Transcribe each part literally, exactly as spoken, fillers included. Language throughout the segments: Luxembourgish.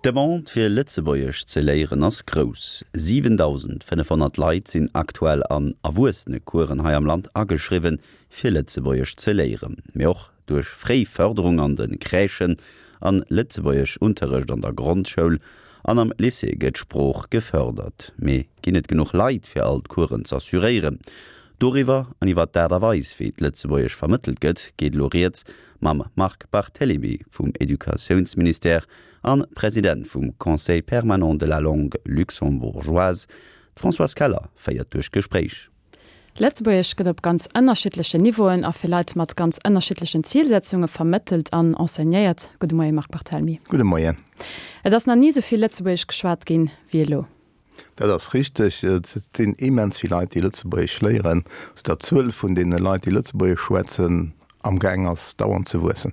D'Demande fir Lëtzebuergesch ze léieren ass grouss. siwendausendfënnefhonnert Leit sinn aktuell an Erwuessenecoursen hei am Land ageschriwwen, fir Lëtzebuergesch ze léieren. Mee och duerch fréi Fërderung an de Crèchen an Lëtzebuergeschunterrecht an der Grondschoul an am Lycée gëtt d'Sprooch gefërdert. Mee ginn et genuch Leit fir all d'Coursen z'assuréieren? Doriwwer an iwwer d'Aart a Weis, wéi d'Lëtzebuergesch vermëttelt gëtt, geet elo rieds mam Marc Barthelemy vum Educatiounsministère an President vum Conseil permanent de la langue luxembourgeoise. D'Françoise Keller féiert duerch d'Gespréich. Lëtzebuergesch gëtt op ganz ënnerschiddlechen Niveauen a fir Leit mat ganz ënnerschiddlechen Zilsetzunge vermëttelt an enseignéiert. Gudde Moie Marc Barthelmy. Gudde Moien. Et ass nach ni esou vill Lëtzebuergesch geschwat ginn, wéi elo. Dat ass richteg. Et sinn immens vill Leit, déi Lëtzebuergesch léieren, soudatt d'Zuel vun deene Leit, déi Lëtzebuergesch schwätzen, amgaang ass, dauernd ze wuessen.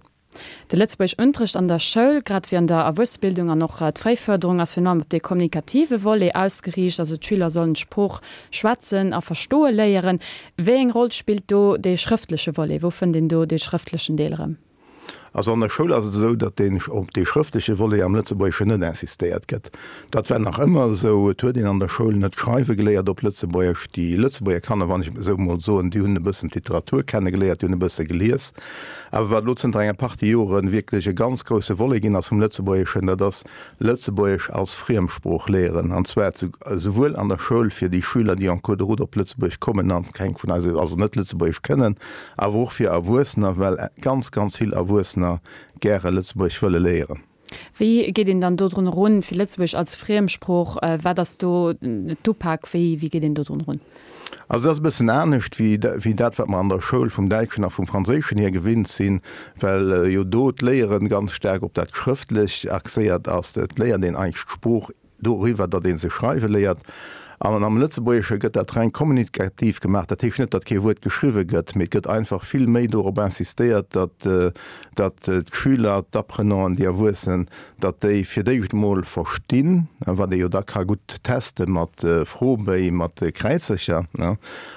De Lëtzebuergeschunterrecht an der Schoul, grad wéi an der Erwuessebildung an och d'Fréifërderung, ass virun allem op dee kommunikative Volet ausgeriicht, also d'Schüler sollen d'Sprooch schwätzen a verstoe léieren. Wéi eng Roll spillt do dee schrëftleche Volet? Wou fënnt een do dee schrëftlechen Deel erëm? Also an der Schoul ass et esou, datt deen op dee schrëftleche Volet am Lëtzebuergeschen net insistéiert gëtt. Dat war nach ëmmer esou. Et huet een an der Schoul net schreiwe geléiert op Lëtzebuergesch. Déi Lëtzebuerger Kanner, wann ech esou emol soen, déi hunn e bëssen d'Literatur kennegeléiert, déi hunn e bësse gelies. Awer wat elo zënter enger Partie Jore wierklech e ganz grousse Volet ginn ass vum Lëtzebuergeschen, dat ass Lëtzebuergesch als Friemsprooch léieren, an zwar esouwuel an der Schoul fir déi Schüler, déi en cours de route op Lëtzebuerg kommen an keng vun eis, also net Lëtzebuergesch kënnen, awer och fir Erwuessener, well ganz, ganz vill Erwuessener gäre Lëtzebuergesch wëlle léieren. Wéi geet een dann dodrun erun, fir Lëtzebuergesch als Friemsprooch, wat ass do d'Upak, wéi geet een dodrun erun? Also et ass e bëssen anescht wéi dat, wat mer an der Schoul vum Däitschen a vum Franséischen hier gewinnt sinn, well jo do d'Léieren ganz staark op dat Schrëftlech axéiert ass. Et léiert een eigentlech d'Sprooch doriwwer, datt ee se schreiwe léiert. An am Lëtzebuergesche gëtt dat reng kommunikativ gemaach. Dat heescht net, datt kee Wuert geschriwwe gëtt, mee et gëtt einfach vill méi dorop insistéiert, datt datt d'Schüler, d'Apprenanten, déi Erwuessen, datt déi fir d'éischt emol verstinn, wat ee jo da ka gutt teste mat Froebéi, mat Kräizercher,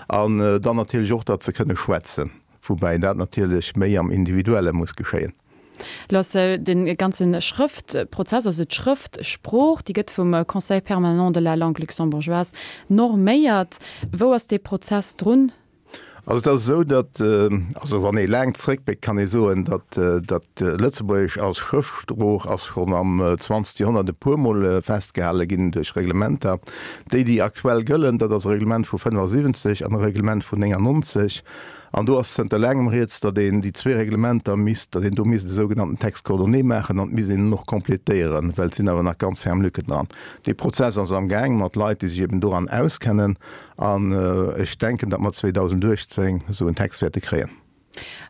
an dann natierlech och, datt se kënne schwätzen, woubäi dat natierlech méi am Individuelle muss geschéien. Lo ass de ganze Schrëftprozess, also d'Schrëftsprooch, déi gëtt vum Conseil permanent de la langue luxembourgeoise norméiert. Wou ass dee Prozess drun? Also et ass esou, datt, also wann ee laang zréckbléckt, kann ee soen, datt datt Lëtzebuergesch als Schrëftsprooch ass schonn am zwanzegste Joerhonnert e puermol festgehale ginn duerch Reglementer. Déi, déi aktuell gëllen, dat ass e Reglement vu fënnefasiwwenzeg an e Reglement vun néngannonzeg. An do ass zënter laangem rieds, datt een déi zwee Reglementer misst, datt een do misst e sougenannten Texte coordonné maachen an et misst een en och complétéieren, well et sinn awer nach ganz ferm Lücken dran. Dee Prozess ass amgaang mat Leit, déi sech eben doran auskennen an ech denken, datt mer zweedausendachtzéng esou en Text wäerte kréien.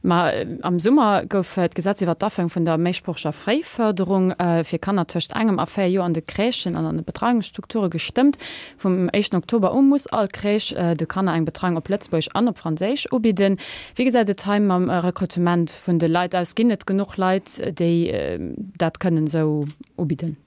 Ma am Summer gouf d'Gesetz iwwert d'Aféierung vun der méisproocheger Fréifërderung fir Kanner tëscht engem a véier Joer an de Crèchen an an de Betreiungsstrukture gestëmmt. Vum éischten Oktober u muss all Crèche de Kanner eng Betreiung op Lëtzebuergesch an op Franséisch ubidden. Wéi gesäit et hei mam Rekrutement vun de Leit aus? Ginn et genuch Leit, déi dat kënnen esou ubidden?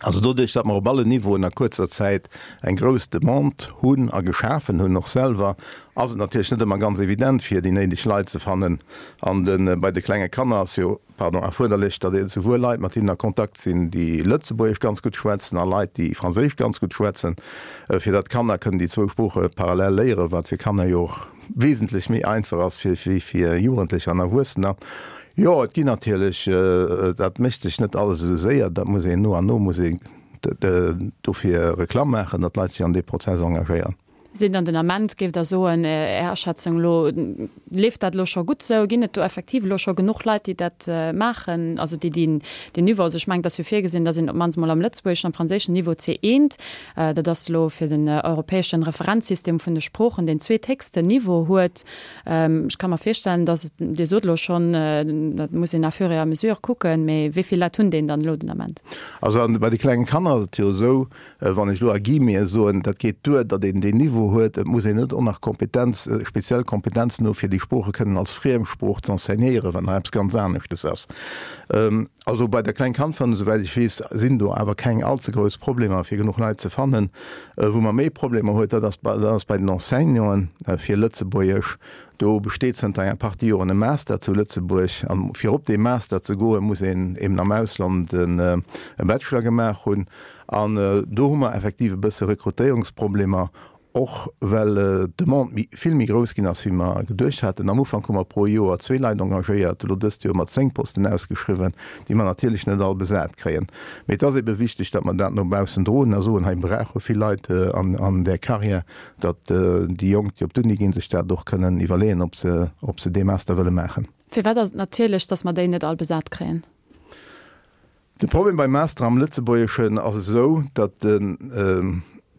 Also doduerch, datt mer op allen Niveauen a kuerzer Zäit eng grouss Demande hunn a geschafen hunn och selwer, ass et natierlech net ëmmer ganz evident, fir déi néideg Leit ze fannen. An de bei de klenge Kanner ass jo, pardon, erfuerderlech, datt ee souwuel Leit mat hinnen a Kontakt sinn, déi Lëtzebuergesch ganz gutt schwätzen a Leit, déi Franséisch ganz gutt schwätzen, fir datt d'Kanner kënnen déi zwou Sprooche parallel léieren, wat fir Kanner jo och wesentlech méi einfach ass wéi fir Jugendlecher an Erwuessener. Jo, et ginn natierlech, dat mécht sech net alles esou séier, dat muss een no an no muss een dofir Reklamm maachen, datt d'Leit sech an dee Prozess engagéieren. Sinn dann den Ament, géift Der soen, Är Aschätzung elo, leeft dat elo scho gutt esou? Ginn et do effektiv elo scho genuch Leit, déi dat maachen, also déi deen Niveau, also ech mengen, et ass jo virgesinn, datt een op d'mannst emol am lëtzebuergeschen, am franséischen Niveau C eent, dat ass elo fir den europäeschen Referenzsystem vun de Sproochen, deen zweethéchsten Niveau huet. Ech ka mer virstellen, dass et, Dir sot elo schonn, dat muss een à fur et à mesure kucken, mee wéi vill Leit hunn deen dann elo den Ament? Also bei de klengen Kanner ass et jo esou, wann ech elo à guillemets soen, dat geet duer, datt een deen Niveau Niveau huet, et muss een net och nach Kompetenz, speziell Kompetenzen hu fir déi Sprooche kënnen als Friemsprooch ze enseignéieren, wat nach eppes ganz aneschtes ass. Also bei der Kleng-Kand-Fërderung, esouwäit ech weess, sinn do awer keng allze grouss Problemer fir genuch Leit ze fannen. Wou mer méi Problemer huet, dat ass dat ass bei den Enseignanten fir Lëtzebuergesch. Do besteet zënter enger Partie Joren e Master zu Lëtzebuerg. An fir op dee Master ze goen, muss een eben am Ausland e Bachelor gemaach hunn. An do hu mer effektiv e bësse Rekrutéierungsproblemer, och well d'Demande méi, vill méi grouss ginn ass, wéi mer geduecht haten. Am Ufank hu mer pro Joer zwee Leit engagéiert, elo dëst Joer hu mer zéng Posten ausgeschriwwen, déi mer natierlech net all besat kréien. Mee et ass ebe wichteg, datt mer dat no baussen droen a soen, hei brauche vill Leit an där Carrière, datt déi Jonk, déi op d'Uni ginn, sech dat och kënnen iwwerleeën, ob se, ob se dee Master wëlle maachen. Firwat ass et natierlech, datt mer déi net all besat kréien? De Problem beim Master am Lëtzebuergeschen ass esou, datt den,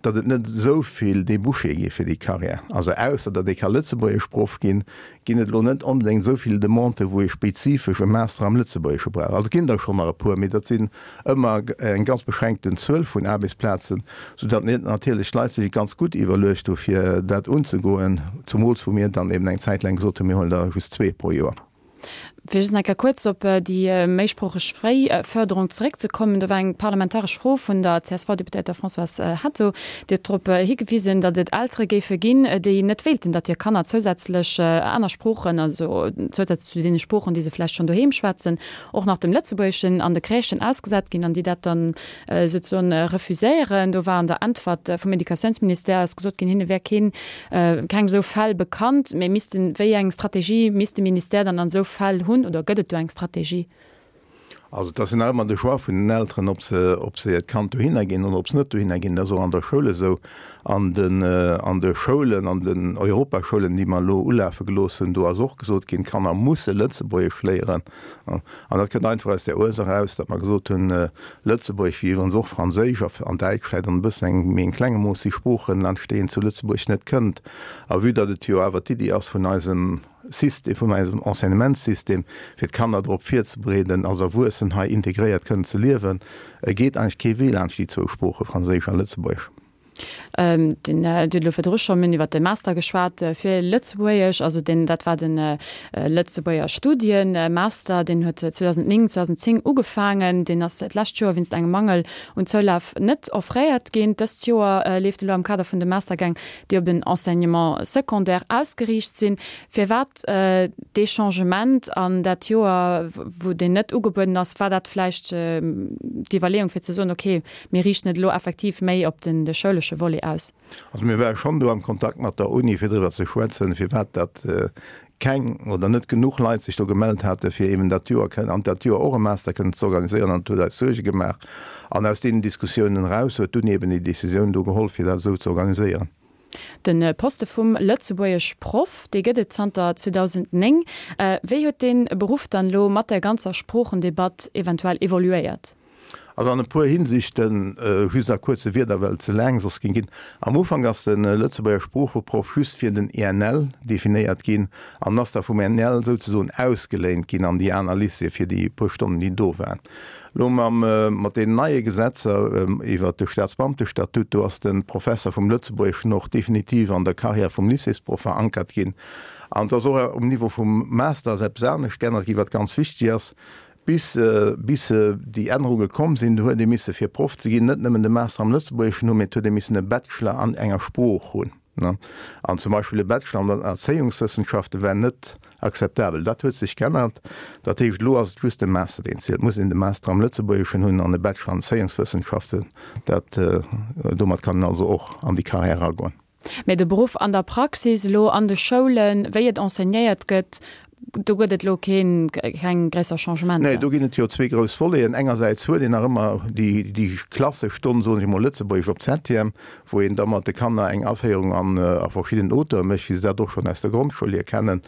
datt et net esou vill Débouchée gi fir déi Carrière. Also ausser datt ee ka Lëtzebuergeschproff ginn, ginn et elo net onbedéngt esou vill Demandë wou ee spezifesch e Master am Lëtzebuergesche brauch. Also et ginn der schonn nach e puer, mee dat sinn ëmmer eng ganz beschränkten Zuel vun Aarbechtsplazen, soudatt natierlech d'Leit sech et ganz gutt iwwerluecht hu fir dat unzegoen, zumools wou mir dann eben eng Zäit laang gesot hunn, mir huelen der just zwee pro Joer. Fir just nach eng Kéier kuerz op déi méisproocheg Fréifërderung zeréckzekommen, do war eng parlamentaresch Fro vun der C S V-Deputéierter Françoise Hetto, déi huet drop higewisen, datt et Eltere géife ginn, déi net wéilten, datt hir Kanner zousätzlech aner Sproochen, also zousätzlech zu deene Sproochen, déi se vläicht schonn doheem schwätzen, och nach dem Lëtzebuergeschen an de Crèchen ausgesat ginn an déi dat dann souzesoen refuséieren. Do war an der Äntwert vum Educatiounsministère ass gesot ginn, hinne wär keen, keng esou Fäll bekannt, mä missten, wéi eng Strategie misst de Ministère dann an esou Fäll hunn oder gëtt et do eng Strategie? Also et ass jo nach ëmmer de Choix vun den Elteren, ob se, ob se hiert Kand dohinner ginn oder ob se net dohinner ginn. Dat ass och an der Schoul esou. An den, an de Schoulen, an den Europaschoulen, déi mer elo ulafe gelooss hunn, do ass och gesot ginn, d'Kanner musse Lëtzebuergesch léieren. An dat kënnt einfach aus där Ursaach eraus, datt mer gesot hunn, Lëtzebuergesch, wéi iwwerens och Franséisch an Däitsch vläicht an e bëssen engem méi klenge Mooss, si Sproochen entstehen zu Lëtzebuerg net kënnt. A vue datt et jo awer d'Iddi ass vun eisem System, vun eisem Enseignementssystem, fir d'Kanner drop virzebereeden, als Erwuessen hei integréiert kënnen ze liewen, geet eigentlech kee Wee laanscht déi zwou Sproochen, Franséisch a Lëtzebuergesch. Den, Dir hutt elo virdru scho mol iwwert de Master geschwat fir Lëtzebuergesch, also deen, dat war de Lëtzebuerger Studienmaster, deen huet zweedausendnéng, zweedausendzéng ugefaangen, deen ass d'lescht Joer wéinst engem Mangel un Zoulaf net offréiert ginn. Dëst Joer leeft elo am Kader vun de Mastergäng, déi op den Enseignement secondaire ausgeriicht sinn. Firwat dee Changement an dat Joer, wou deen net ugebueden ass, war dat vläicht d'Iwwerleeung fir ze soen, okay, mir riichten et elo effektiv méi op den de schoulesche Volet aus? Also mir ware schonn do am Kontakt mat der Uni, fir driwwer ze schwätzen, firwat dat keng oder net genuch Leit sech do gemellt hate fir eben dat Joer kënnen, an dat Joer och e Master kënnen ze organiséieren, an et huet eis Suerge gemaach. An aus deenen Diskussiounen eraus huet d'Uni eben déi Décisioun do geholl, fir dat esou ze organiséieren. De Poste vum Lëtzebuergesch-Proff, dee gëtt et zanter zweedausendnéng. Wéi huet dee Beruff dann elo mat der ganzer Sproochendebatt eventuell evoluéiert? Also an e puer Hinsichten, just a kuerze Wierder, well et ze laang soss géing ginn. Am Ufank ass de Lëtzebuerger Sproocheproff just fir den E N L definéiert ginn an ass da vum E N L souzesoen ausgeléint ginn an déi aner Lycéeë fir déi puer Stonnen, déi do waren. Elo mam, mat deenen neie Gesetzer iwwert de Staatsbeamtestatut, do ass de Professer vum Lëtzebuergeschen och definitiv an der Carrière vum Lycéesproff verankert ginn. An et ass och um Niveau vum Master ass eppes anescht geännert ginn, wat ganz wichteg ass. Bis, bis déi Ännerunge komm sinn, do huet ee misse fir Proff ze ginn net nëmmen de Master am Lëtzebuergeschen hunn, mee et huet ee missen e Bachelor an enger Sprooch hunn. An zum Beispill e Bachelor an den Erzéiungswëssenschafte war net akzeptabel. Dat huet sech geännert. Dat heescht, elo ass et just de Master, deen zielt. Et muss een de Master am Lëtzebuergeschen hunn an e Bachelor an Erzéiungswëssenschaften. Dat, domat kann een also och an déi Carrière eragoen. Mä de Beruff an der Praxis elo an de Schoulen, wéi et enseignéiert gëtt, do gëtt et elo keen, keng gréisser Changementer? Nee, do ginn et jo zwee grouss Voleten. Engersäits huet een nach ëmmer déi, déi klassesch Stonn, soen ech emol, Lëtzebuergesch op Septième, wou een da mat de Kanner eng Aféierung an a verschidden Auteure mécht, wéi se dat och schonn aus der Grondschoul hier kennen.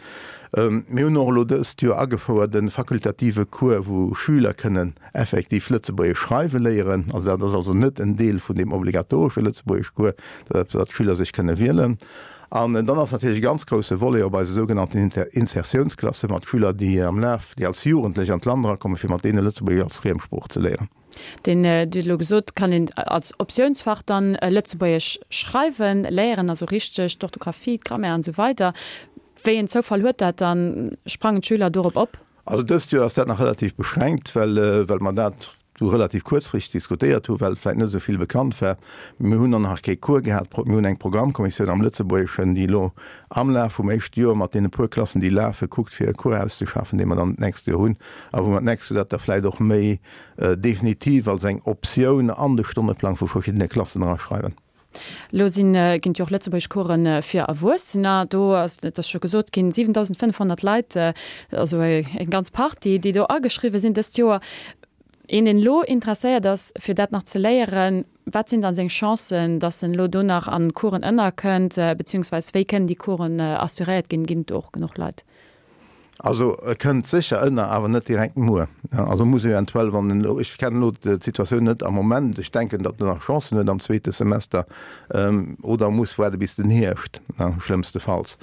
Mir hunn och elo dëst Joer agefouert e fakultative Cours, wou Schüler kënnen effektiv Lëtzebuergesch schreiwe léieren. Also dat ass also net en Deel vun deem obligatoresche Lëtzebuergeschcours, dat ass eppes, wat d'Schüler sech kënne wielen. An dann ass natierlech e ganz grousse Volet op eise sougenannten Insertiounsklasse mat Schüler, déi am Laf, déi als Jugendlech an d'Land erakommen, fir mat deene Lëtzebuergesch als Friemsprooch ze léieren. Deen, Dir hutt elo gesot, kann een als Optiounsfach dann Lëtzebuergesch schreiwen léieren, also richteg d'Orthografie, d'Grammaire an esou weider. Wéi een Zoufall huet dat dann? Sprangen d'Schüler dorop op? Also dëst Joer ass dat nach relativ beschränkt, well well mer dat do relativ kuerzfristeg diskutéiert hu well et vläicht net esou vill bekannt war. Mir hunn och nach kee Cours gehat. Mir hunn eng Programmkommissioun am Lëtzebuergeschen, déi elo am Laf vum éischte Joer mat deene puer Klassen, déi lafen, kuckt fir e Cours auszeschaffen, dee mer dann d'nächst Joer hunn a wou mer d'nächst Joer dat da vläicht och méi definitiv als eng Optioun an de Stonneplang vu verschiddene Klassen eraschreiwen. Elo sinn, ginn et jo och lëtzebuergesch Coursen fir Erwuessener. Do ass, et ass scho gesot ginn, siwentausendfënnfhonnert Leit, also eng ganz Partie, déi do ageschriwwen sinn dëst Joer. Een, deen elo interesséiert ass, fir dat nach ze léieren, wat sinn dann seng Chancen, datt en elo do nach an Coursen ënnerkënnt, beziehungsweis wéi kënnen déi Coursen assuréiert ginn? Ginn et do och genuch Leit? Also e kënnt sécher ënner, awer net direkt muer. Also muss eventuell, wann en elo, ech kennen elo d'Situatioun net am Moment, ech denken, datt en nach Chancen huet am zweete Semester, oder muss waarde bis den Hierscht, schlëmmstefalls.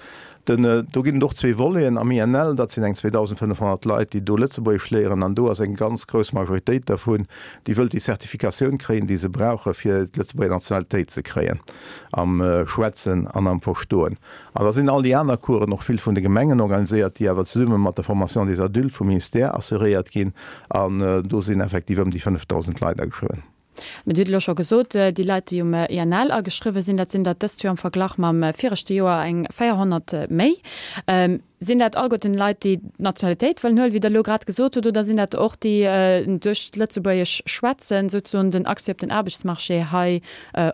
Den, do ginn et och zwee Voleten am I N L, dat sinn eng zweedausendfënnefhonnert Leit, déi do Lëtzebuergesch léieren, an do ass eng ganz grouss Majoritéit dervun, déi wëllt déi Zertifikatioun kréien, déi se brauche fir d'Lëtzebuerger Nationalitéit ze kréien am Schwätzen an am Verstoen. An da sinn all déi aner Coursen, och vill vun de Gemengen organiséiert, déi awer zesumme mat der Formation des adultes vum Ministère assuréiert ginn, an do sinn effektiv ëm déi fënnefdausend Leit ageschriwwen. Mä Dir hutt elo scho gesot, déi Leit, déi um I N L ageschriwwen sinn, dat sinn der dëst Joer am Verglach mam viregte Joer eng véierhonnert méi. Sinn dat alleguerten Leit, déi d'Nationalitéit wëllen huelen, wéi Der elo grad gesot hutt, oder sinn dat och déi duerch d'Lëtzebuergesch schwätzen souzesoen den Accès op den Aarbechtsmarché hei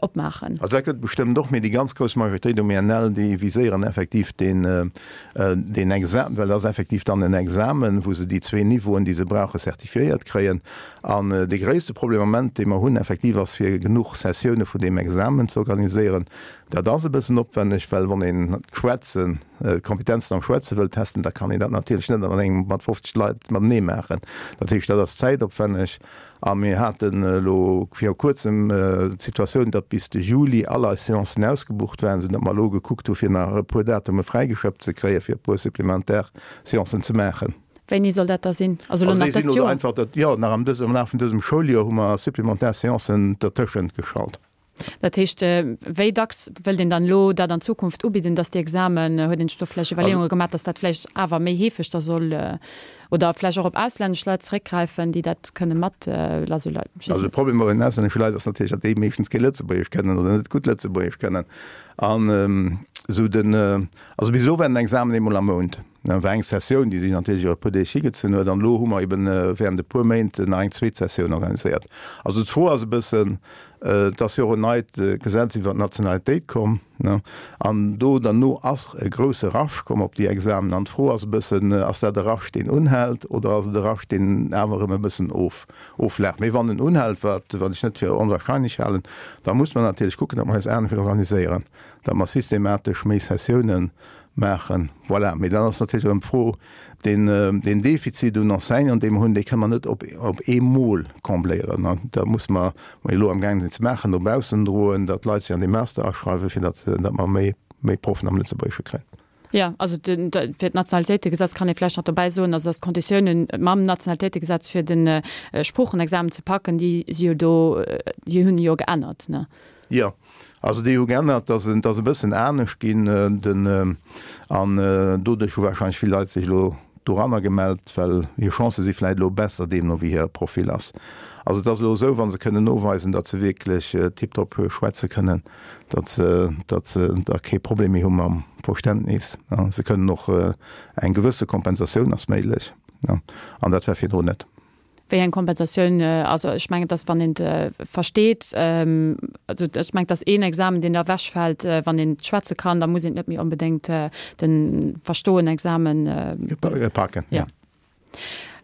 opmaachen? Also dat gëtt et bestëmmt och, mee déi ganz grouss Majoritéit um I N L, déi viséieren effektiv deen deen Examen, well dat ass effektiv dann en Examen, wou se déi zwee Niveauen, déi se brauchen, certifiéiert kréien. An dee gréisste Problem am Moment, dee mer hunn effektiv, ass fir genuch Sessioune vun deem Examen ze organiséieren. Dat ass e bëssen opwenneg, well wann een d'Schwätzen, d'Kompetenzen am Schwätze wëll testen, da kann een dat natierlech net an engem mat fofzeg Leit matenee maachen. Dat heescht, dat ass zäitopwenneg. A mir haten elo viru Kuerzem d'Situatioun, datt bis de Juli all eis Seancen ausgebucht waren, soudatt mer elo gekuckt hu fir nach e puer Datume fräigeschëppt ze kréien, fir e puer supplementär Seancen ze maachen. Wéini soll dat da sinn? Also elo nach dëst Joer? Einfach dat, jo, nach am dësem, am Laf vun dësem Schouljoer hu mer supplementär Seancen dertëschent geschalt. Dat heescht, wéi dacks wëllt een dann elo dat an Zukunft ubidden, dass déi Examen, huet een sech do vläicht Iwwerleeunge gemaach, dass dat vläicht awer méi heefeg da soll, oder vläicht och op auslännesch Leit zeréckgräifen, déi dat kënne mat, also Leit, ech weess Also de net. Problem bei den auslännesche Leit ass natierlech, datt déi meeschtens kee Lëtzebuergesch kënnen oder net gutt Lëtzebuergesch kënnen. An esou den, also bis elo war den Examen eemol am Mount. Dat war eng Sessioun, déi sech natierlech iwwer e puer Deeg higezunn huet. An elo hu mer eben während e puer Méint nach eng zweet Sessioun organiséiert. Also d'Fro ass e bëssen, et ass jo och en neit Gesetz iwwer d'Nationalitéit komm, ne, an do derno ass e grousse Rush komm op déi Examen. An d'Fro ass e bëssen, ass dat e Rush, deen unhält, oder ass et e Rush, deen awer erëm e bëssen of, oflaacht? Mee wann en unhält, wat, wat ech net fir onwahrscheinlech halen, da muss mer natierlech kucken, datt mer eis anescht organiséieren, datt mer systematesch méi Sessiounen maachen. Voilà. Mee dann ass natierlech erëm d'Fro, deen, deen Defizit un Enseignanten, dee mer hunn, dee kënne mer net op, op eemol combléieren. An da muss mer, mer elo amgaange sinn ze maachen, no baussen droen, datt d'Leit sech an dee Master aschreiwen, fir datt, datt mer méi, méi Proffen am Lëtzebuergesche kréien. Jo, also den, de, fir d'Nationalitéitegesetz kann ee vläicht nach dobäi soen, also datt d'Konditiounen mam Nationalitéitegesetz fir de Sproochenexamen ze packen, déi si jo do, déi hunn jo geännert, ne? Jo, also déi hu geännert, datt et ass e bëssen anescht ginn, den, an doduerch hu wahrscheinlech vill Leit sech elo doranner gemellt, well hir Chancë si vläicht elo besser, deemno wéi hire Profil ass. Also et ass elo esou, wa se kënnen noweisen, datt se wierklech tiptop schwätze kënnen, datt se, datt se da kee Problem méi hu mam Verständnis. Se kënnen och, eng gewësse Kompensatioun ass méiglech, an dat war virdrun net. Wéi eng Kompensatioun? Also ech mengen, dass wann een et versteet, also ech mengen, dass een Examen, deen da ewechfält, wann een schwätze kann, da muss een net méi onbedéngt de Verstoen-Examen packen. Jo.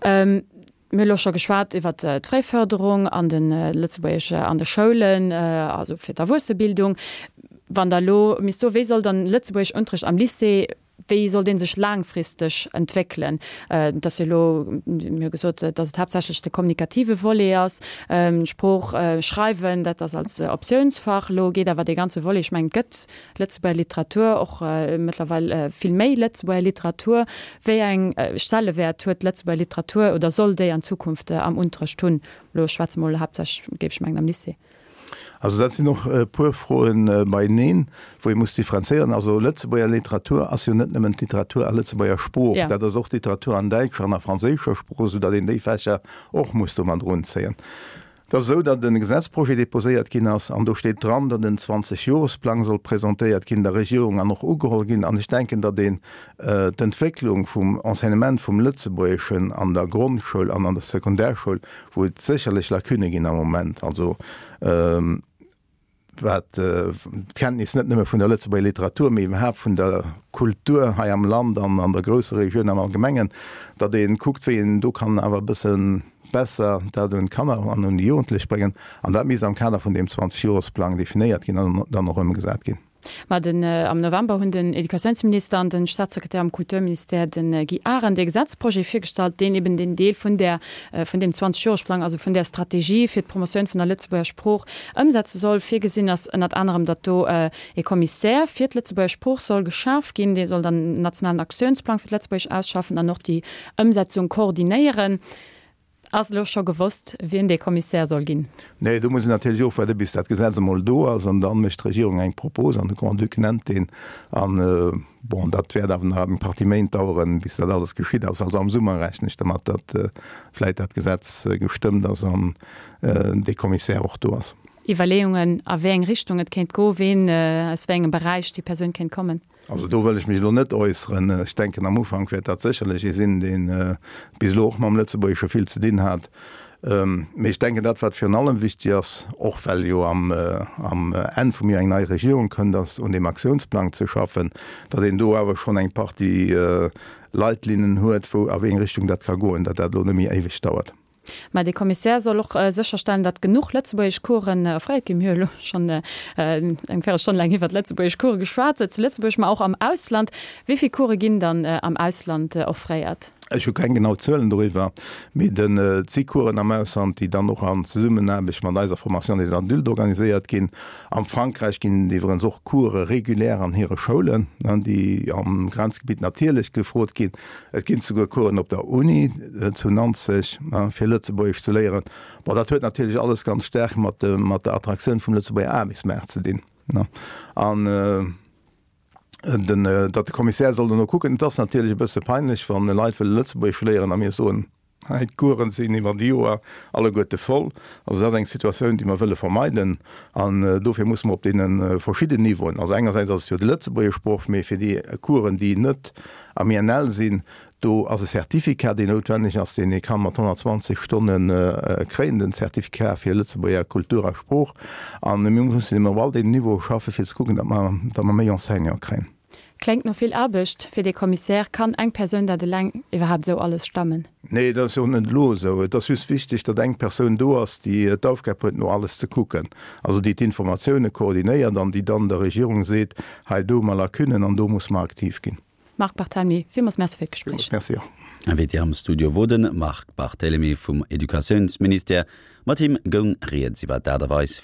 Mir hu elo scho geschwat iwwert d'Fréiförderung an de Lëtzebuergesch an de Schoulen, also fir d'Erwuessebildung. Wann Der elo misst soen, wéi soll dann Lëtzebuergeschunterricht am Lycée Wéi soll dee sech laangfristeg entwéckelen? Et ass jo elo, mir hu gesot, datt et haaptsächlech de kommunikative Volet ass, d'Sprooch schreiwen, dat ass als Optiounsfach. Elo geet awer dee ganze Volet, ech mengen, et gëtt Lëtzebuerger Literatur, och mëttlerweil vill méi Lëtzebuerger Literatur. Wéi eng Stellewäert huet d'Lëtzebuerger Literatur oder soll déi an Zukunft am Unterrecht hunn? Elo schwätze mol haaptsächlech, géif ech mengen, am Lycée. Also dat sinn och e puer Froen beieneen, wou ee muss differenzéieren. Also Lëtzebuerger Literatur ass jo net nëmmen d'Literatur a Lëtzebuerger Sprooch, dat ass och d'Literatur an däitscher an a franséischer Sprooch, soudatt een déi Fächer och muss do mat erunzéien. Et ass esou, datt e Gesetzprojet déposéiert ginn ass an do steet dran, datt en Zwanzeg-Jores-Plang soll presentéiert ginn der Regierung an och ugeholl ginn. An ech denken, datt een d'Entwécklung vum Enseignement vum Lëtzebuergeschen an der Grondschoul an an der Sekundärschoul, wou et sécherlech Lacunë ginn am Moment, also wat d'Kenntnis net nëmme vun der Lëtzebuerger Literatur, mee iwwerhaapt vun der Kultur hei am Land an an der Groussregioun am Allgemengen, datt ee kuckt, wéi een do kann awer e bësse besser dat un d'Kanner an un déi Jugendlech bréngen. An dat misst am Kader vun deem Zwanzeg-Jores-Plang definéiert ginn an dann och ëmgesat ginn. Ma den am November hunn den Educatiounsminister an den Staatssekretär am Kulturministère, de Guy Arendt, ee Gesetzprojet virgestallt, deen eben deen Deel vun där, vun deem Zwanzeg-Jores-Plang, also vun där Strategie fir d'Promotioun vun der Lëtzebuerger Sprooch ëmsetze soll. Virgesinn ass ënnert anerem, datt do ee Commissaire fir d'Lëtzebuerger Sprooch soll geschaf ginn. Dee soll dann en nationalen Aktiounsplang fir d'Lëtzebuergesch ausschaffen an och déi Ëmsetzung koordinéieren. Ass elo scho gewosst, wien dee Commissaire soll ginn? Nee, do muss een natierlech ofwaarde bis dat Gesetz emol do ass an da mécht d'Regierung eng Propos an de Grand-Duc nennt deen. An, bon, dat wäert awer nach eng Partie Méint daueren, bis dat alles geschitt ass. Also am Summer rechnen ech dermat, datt vläicht dat Gesetz gestëmmt ass an dee Commissaire och do ass. Iwwerleeungen, a wéi eng Richtung et kéint goen, ween, aus wéi engem Beräich déi Persoun kéint kommen? Also do wëll ech mech elo net äusseren. Ech denken, am Ufank wäert dat sécherlech ee sinn, dee bis elo och mam Lëtzebuergesche vill ze dinn hat. Mee ech denken, dat wat virun allem wichtig ass, och well jo am Enn vum Joer eng nei Regierung kënnt, ass un deem Aktiounsplang ze schaffen, datt een do awer schonn eng Partie Leitlinnen huet, wou a wéi eng Richtung dat ka goen, datt dat elo net méi éiweg dauert. Mä de Commissaire soll och sécherstellen, datt genuch lëtzebuergesch Coursen offréiert ginn. Mir hu elo schonn eng Véirelstonn laang iwwert lëtzebuergesch Course geschwat, zu Lëtzebuerg, ma och am Ausland. Wéi vill Course ginn dann am Ausland offréiert? Ech hu keng genau Zuelen doriwwer, mee et si Coursen am Ausland, déi dann och an Zesummenaarbecht mat eiser Formation des adultes organiséiert ginn. Am Frankräich ginn et iwwerens och Course régulières an hire Schoulen, déi am Grenzgebitt natierlech gefrot ginn. Et ginn souguer Coursen op der Uni zu Nanzeg, fir Lëtzebuergesch ze léieren. Bon, dat huet natierlech alles ganz staark mat mat der Attraktioun vum Lëtzebuerger Aarbechtsmaart ze dinn. An den, datt de Commissaire soll dono kucken. Et ass natierlech e bësse peinlech, wann Leit wëlle Lëtzebuergesch léieren a mir soen, hei d'Coursen sinn iwwer déi Joer alleguerte voll. Also dat ass eng Situatioun, déi mer wëlle vermeiden. An dofir musse mer op deene verschidden Niveauen, also engersäits ass et jo de Lëtzebuergeschproff, mee fir déi Coursen, déi net am I N L sinn, do ass e Certificat, deen noutwenneg ass, deen ee ka mat honnertzwanzeg Stonne kréien, den Certificat fir Lëtzebuerger Kultur a Sprooch. A mir mussen eben op all deenen Niveaue schaffen, fir ze kucken, datt mer, datt mer méi Enseignante kréien. Kléngt no vill Aarbecht fir dee Commissaire. Kann eng Persoun dat eleng iwwerhaapt esou alles stemmen? Nee, dat ass jo och net elo esou. Et ass just wichteg, datt eng Persoun do ass, déi d'Aufgab huet, no alles ze kucken, also déi d'Informatioune koordinéiert an déi dann der Regierung seet, hei do hu mer Lacunnen an do musse mer aktiv ginn. Marc Barthelmy, villmools Merci fir d'Gespréich. Merci och. Invité am Studio wor de Marc Barthelemy vum Educatiounsministère. Mat him goung rieds iwwer d'Aart a Weis,